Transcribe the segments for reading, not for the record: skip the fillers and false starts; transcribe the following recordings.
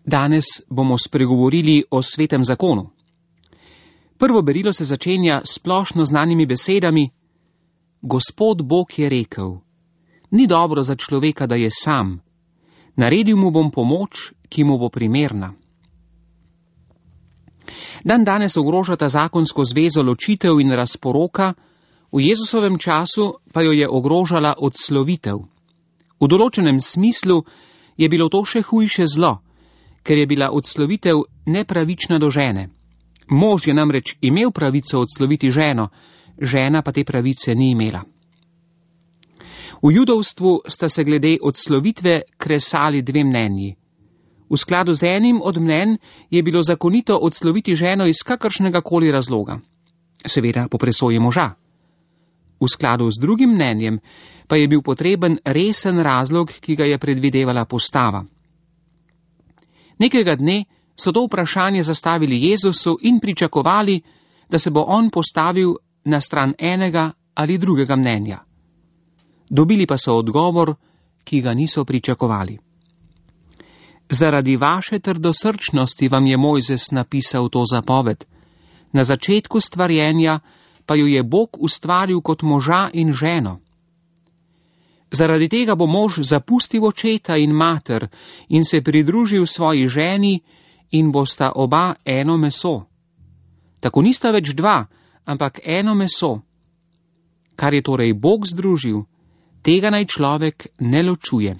Danes bomo spregovorili o svetem zakonu. Prvo berilo se začenja s splošno znanimi besedami: Gospod Bog je rekel, ni dobro za človeka, da je sam. Naredil mu bom pomoč, ki mu bo primerna. Danes ogrožata zakonsko zvezo ločitev in razporoka, v Jezusovem času pa jo je ogrožala odslovitev. V določenem smislu je bilo to še hujše zlo, ker je bila odslovitev nepravična do žene. Mož je namreč imel pravico odsloviti ženo, žena pa te pravice ni imela. V judovstvu sta se glede odslovitve kresali dve mnenji. V skladu z enim od mnenj je bilo zakonito odsloviti ženo iz kakršnega koli razloga, seveda po presoji moža. V skladu z drugim mnenjem pa je bil potreben resen razlog, ki ga je predvidevala postava. Nekega dne so to vprašanje zastavili Jezusu in pričakovali, da se bo on postavil na stran enega ali drugega mnenja. Dobili pa so odgovor, ki ga niso pričakovali. Zaradi vaše trdosrčnosti vam je Mojzes napisal to zapoved. Na začetku stvarjenja pa jo je Bog ustvaril kot moža in ženo. Zaradi tega bo mož zapustil očeta in mater in se pridružil svoji ženi in bosta oba eno meso. Tako nista več dva, ampak eno meso. Kar je torej Bog združil, tega naj človek ne ločuje.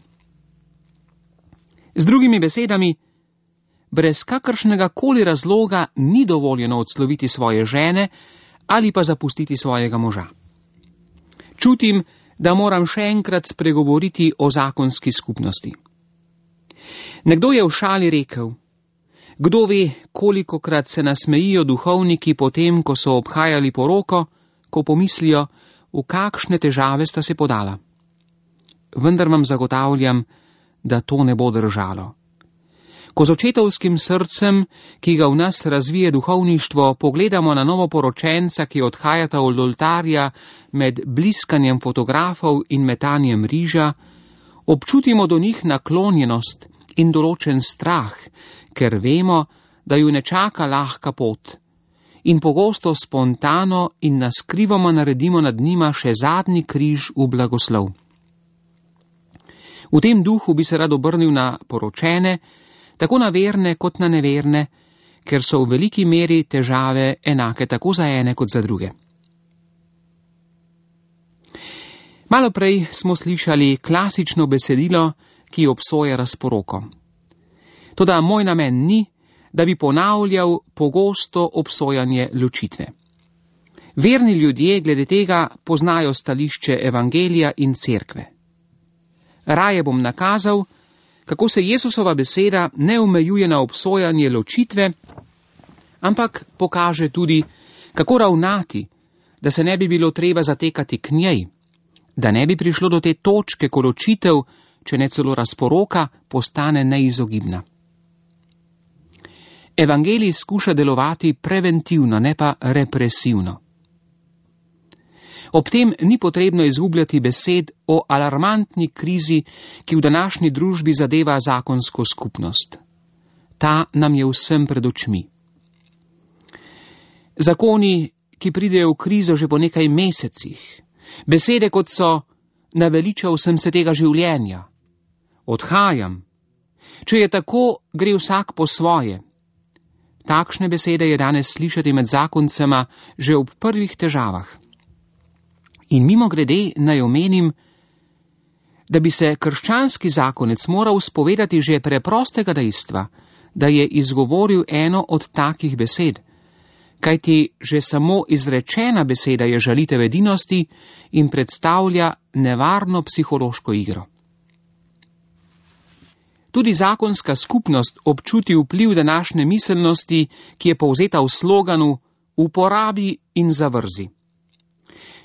Z drugimi besedami, brez kakršnega koli razloga ni dovoljeno odsloviti svoje žene ali pa zapustiti svojega moža. Čutim, da moram še enkrat spregovoriti o zakonski skupnosti. Nekdo je v šali rekel: kdo ve, kolikokrat se nasmejijo duhovniki potem, ko so obhajali poroko, ko pomislijo, v kakšne težave sta se podala. Vendar vam zagotavljam, da to ne bo držalo. Ko z očetovskim srcem, ki ga v nas razvije duhovništvo, pogledamo na novoporočenca, ki odhajata od oltarja med bliskanjem fotografov in metanjem riža, občutimo do njih naklonjenost in določen strah, ker vemo, da ju ne čaka lahka pot, in pogosto spontano in naskrivoma naredimo nad njima še zadnji križ v blagoslov. V tem duhu bi se rad obrnil na poročene, tako na verne kot na neverne, ker so v veliki meri težave enake tako za ene kot za druge. Malo prej smo slišali klasično besedilo, ki obsoja razporoko. Toda moj namen ni, da bi ponavljal pogosto obsojanje ločitve. Verni ljudje glede tega poznajo stališče evangelija in cerkve. Raje bom nakazal, kako se Jesusova beseda ne omejuje na obsojanje ločitve, ampak pokaže tudi, kako ravnati, da se ne bi bilo treba zatekati k njej, da ne bi prišlo do te točke, ko ločitev, če ne celo razporoka, postane neizogibna. Evangelij skuša delovati preventivno, ne pa represivno. Ob tem ni potrebno izgubljati besed o alarmantni krizi, ki v današnji družbi zadeva zakonsko skupnost. Ta nam je vsem pred očmi. Zakoni, ki pridejo v krizo že po nekaj mesecih, besede kot so: naveličal sem se tega življenja, odhajam, če je tako, gre vsak po svoje. Takšne besede je danes slišati med zakoncema že ob prvih težavah. In mimogrede naj omenim, da bi se krščanski zakonec moral spovedati že preprostega dejstva, da je izgovoril eno od takih besed, kajti že samo izrečena beseda je žalitev edinosti in predstavlja nevarno psihološko igro. Tudi zakonska skupnost občuti vpliv današnje miselnosti, ki je povzeta v sloganu uporabi in zavrzi.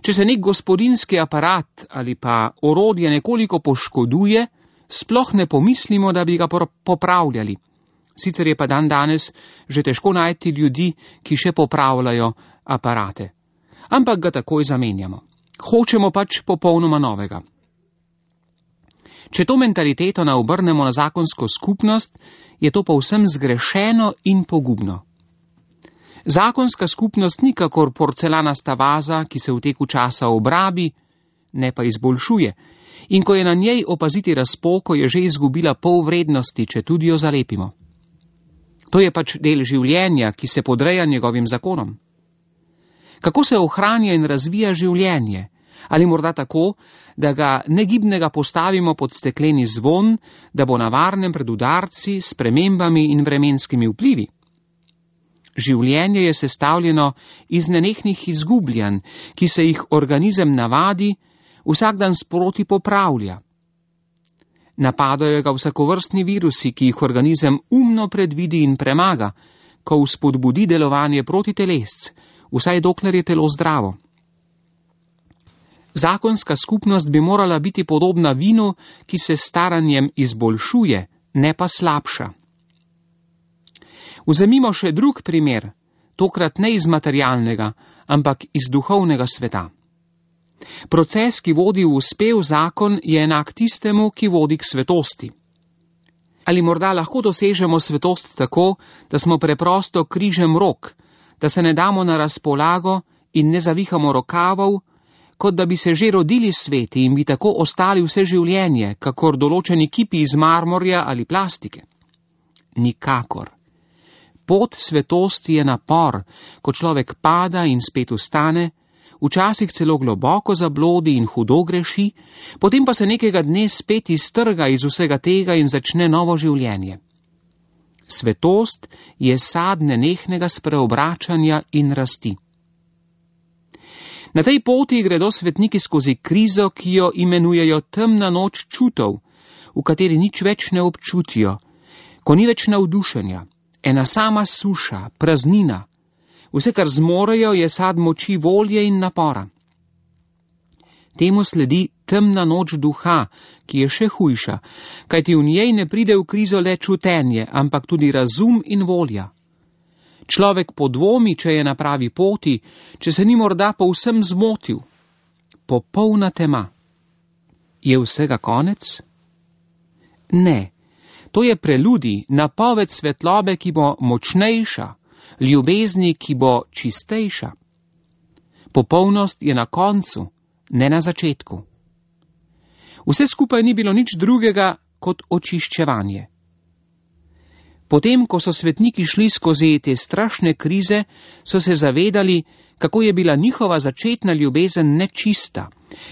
Če se nek gospodinjski aparat ali pa orodje nekoliko poškoduje, sploh ne pomislimo, da bi ga popravljali. Sicer je pa danes že težko najti ljudi, ki še popravljajo aparate. Ampak ga takoj zamenjamo. Hočemo pač popolnoma novega. Če to mentaliteto naobrnemo na zakonsko skupnost, je to povsem zgrešeno in pogubno. Zakonska skupnost ni kakor porcelanasta vaza, ki se v teku časa obrabi, ne pa izboljšuje, in ko je na njej opaziti razpoko, je že izgubila pol vrednosti, če tudi jo zalepimo. To je pač del življenja, ki se podreja njegovim zakonom. Kako se ohranja in razvija življenje? Ali morda tako, da ga negibnega postavimo pod stekleni zvon, da bo na varnem pred udarci, spremembami in vremenskimi vplivi? Življenje je sestavljeno iz nenehnih izgubljanj, ki se jih organizem navadi, vsak dan sproti popravlja. Napadajo ga vsakovrstni virusi, ki jih organizem umno predvidi in premaga, ko vzpodbudi delovanje proti telesc, vsaj dokler je telo zdravo. Zakonska skupnost bi morala biti podobna vinu, ki se s staranjem izboljšuje, ne pa slabša. Vzemimo še drug primer, tokrat ne iz materialnega, ampak iz duhovnega sveta. Proces, ki vodi v uspev zakon, je enak tistemu, ki vodi k svetosti. Ali morda lahko dosežemo svetost tako, da smo preprosto križem rok, da se ne damo na razpolago in ne zavihamo rokavov, kot da bi se že rodili sveti in bi tako ostali vse življenje, kakor določeni kipi iz marmorja ali plastike? Nikakor. Pot svetosti je napor, ko človek pada in spet vstane, včasih celo globoko zablodi in hudo greši, potem pa se nekega dne spet iztrga iz vsega tega in začne novo življenje. Svetost je sad nenehnega spreobračanja in rasti. Na tej poti gredo svetniki skozi krizo, ki jo imenujejo temna noč čutov, v kateri nič več ne občutijo, ko ni več navdušenja, ena sama suša, praznina. Vse, kar zmorejo, je sad moči volje in napora. Temu sledi temna noč duha, ki je še hujša, kajti v njej ne pride v krizo le čutenje, ampak tudi razum in volja. Človek podvomi, če je na pravi poti, če se ni morda povsem zmotil. Popolna tema. Je vsega konec? Ne. To je preludij, napoved svetlobe, ki bo močnejša, ljubezni, ki bo čistejša. Popolnost je na koncu, ne na začetku. Vse skupaj ni bilo nič drugega kot očiščevanje. Potem, ko so svetniki šli skozi te strašne krize, so se zavedali, kako je bila njihova začetna ljubezen nečista,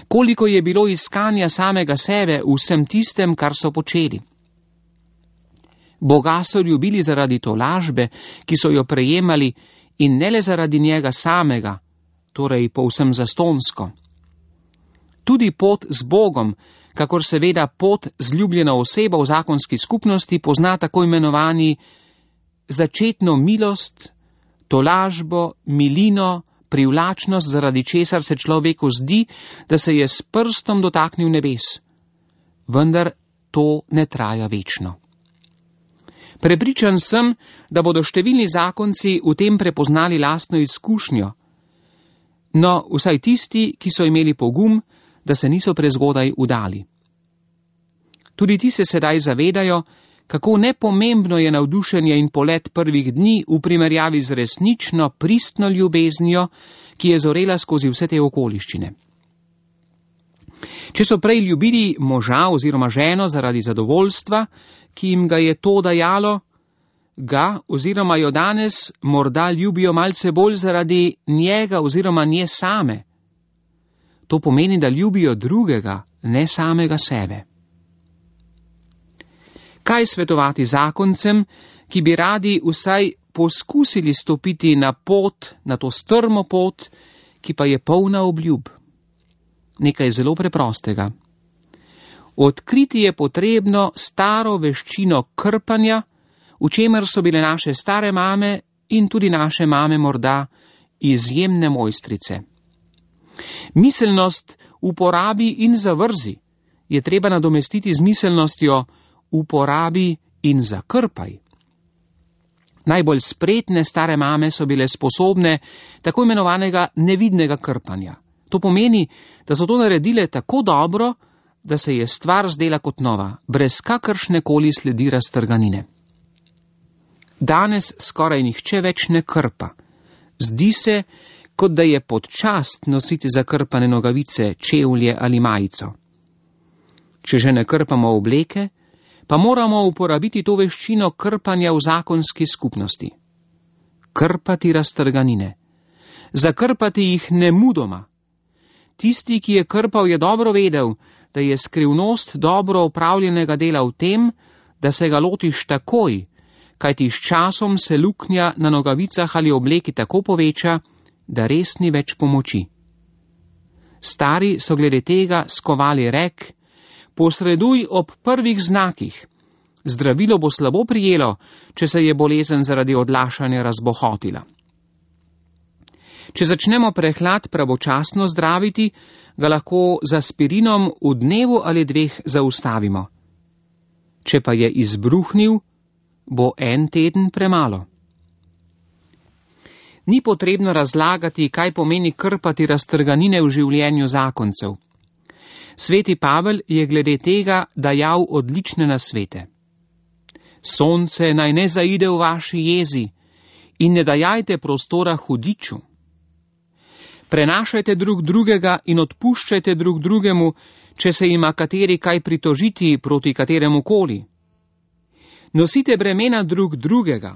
koliko je bilo iskanja samega sebe v vsem tistem, kar so počeli. Boga so ljubili zaradi tolažbe, ki so jo prejemali, in ne le zaradi njega samega, torej povsem zastonsko. Tudi pot z Bogom, kakor seveda pot z ljubljeno osebo v zakonski skupnosti, pozna tako imenovani začetno milost, tolažbo, milino, privlačnost, zaradi česar se človeku zdi, da se je s prstom dotaknil nebes. Vendar to ne traja večno. Prepričan sem, da bodo številni zakonci v tem prepoznali lastno izkušnjo, no vsaj tisti, ki so imeli pogum, da se niso prezgodaj udali. Tudi ti se sedaj zavedajo, kako nepomembno je navdušenje in polet prvih dni v primerjavi z resnično, pristno ljubeznijo, ki je zorela skozi vse te okoliščine. Če so prej ljubili moža oziroma ženo zaradi zadovoljstva, ki jim ga je to dajalo, ga oziroma jo danes morda ljubijo malce bolj zaradi njega oziroma nje same. To pomeni, da ljubijo drugega, ne samega sebe. Kaj svetovati zakoncem, ki bi radi vsaj poskusili stopiti na pot, na to strmo pot, ki pa je polna obljub? Nekaj zelo preprostega. Odkriti je potrebno staro veščino krpanja, v čemer so bile naše stare mame in tudi naše mame morda izjemne mojstrice. Miselnost uporabi in zavrzi je treba nadomestiti z miselnostjo uporabi in zakrpaj. Najbolj spretne stare mame so bile sposobne tako imenovanega nevidnega krpanja. To pomeni, da so to naredile tako dobro, da se je stvar zdela kot nova, brez kakršne koli sledi raztrganine. Danes skoraj nihče več ne krpa. Zdi se, kot da je pod čast nositi zakrpane nogavice, čevlje ali majico. Če že ne krpamo obleke, pa moramo uporabiti to veščino krpanja v zakonski skupnosti. Krpati raztrganine. Zakrpati jih nemudoma. Tisti, ki je krpal, je dobro vedel, da je skrivnost dobro opravljenega dela v tem, da se ga lotiš takoj, kajti s časom se luknja na nogavicah ali obleki tako poveča, da res ni več pomoči. Stari so glede tega skovali rek: posreduj ob prvih znakih. Zdravilo bo slabo prijelo, če se je bolezen zaradi odlašanja razbohotila. Če začnemo prehlad pravočasno zdraviti, ga lahko z aspirinom v dnevu ali dveh zaustavimo. Če pa je izbruhnil, bo en teden premalo. Ni potrebno razlagati, kaj pomeni krpati raztrganine v življenju zakoncev. Sveti Pavel je glede tega dajal odlične nasvete. Sonce naj ne zaide v vaši jezi in ne dajajte prostora hudiču. Prenašajte drug drugega in odpuščajte drug drugemu, če se ima kateri kaj pritožiti proti kateremu koli. Nosite bremena drug drugega.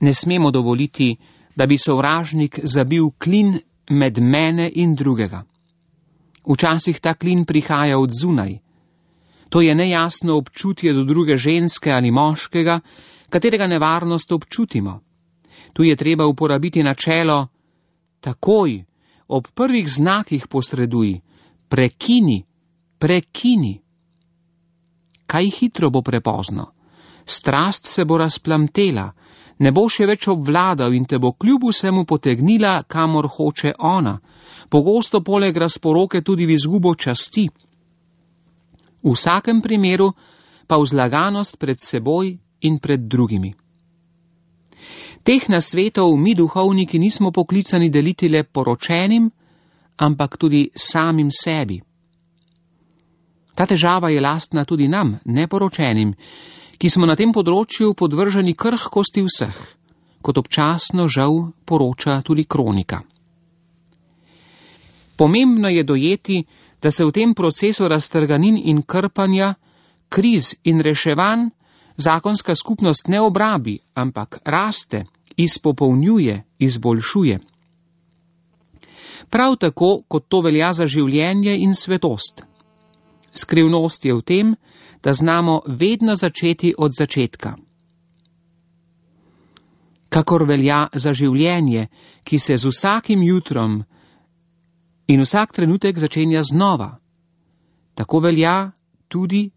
Ne smemo dovoliti, da bi sovražnik zabil klin med mene in drugega. Včasih ta klin prihaja od zunaj. To je nejasno občutje do druge ženske ali moškega, katerega nevarnost občutimo. Tu je treba uporabiti načelo: takoj, ob prvih znakih posreduj, prekini. Kaj hitro bo prepozno? Strast se bo razplamtela, ne bo še več obvladal in te bo kljub vsemu potegnila, kamor hoče ona, pogosto poleg razporoke tudi v izgubo časti. V vsakem primeru pa vzlaganost pred seboj in pred drugimi. Teh nasvetov mi duhovniki nismo poklicani deliti le poročenim, ampak tudi samim sebi. Ta težava je lastna tudi nam, neporočenim, ki smo na tem področju podvrženi krhkosti vseh, kot občasno žal poroča tudi kronika. Pomembno je dojeti, da se v tem procesu raztrganin in krpanja, kriz in reševanj zakonska skupnost ne obrabi, ampak raste, izpopolnjuje, izboljšuje. Prav tako, kot to velja za življenje in svetost. Skrivnost je v tem, da znamo vedno začeti od začetka. Kakor velja za življenje, ki se z vsakim jutrom in vsak trenutek začenja znova, tako velja tudi,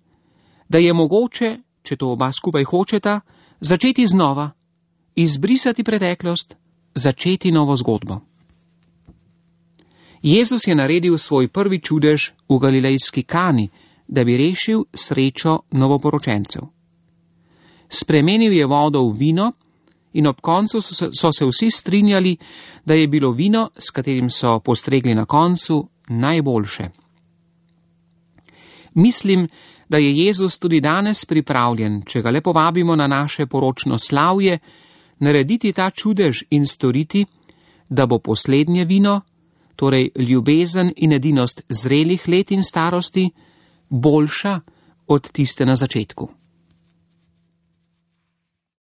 da je mogoče, če to oba skupaj hočeta, začeti znova, izbrisati preteklost, začeti novo zgodbo. Jezus je naredil svoj prvi čudež v galilejski Kani, da bi rešil srečo novoporočencev. Spremenil je vodo v vino in ob koncu so se vsi strinjali, da je bilo vino, s katerim so postregli na koncu, najboljše. Mislim, da je Jezus tudi danes pripravljen, če ga le povabimo na naše poročno slavje, narediti ta čudež in storiti, da bo poslednje vino, torej ljubezen in edinost zrelih let in starosti, boljša od tiste na začetku.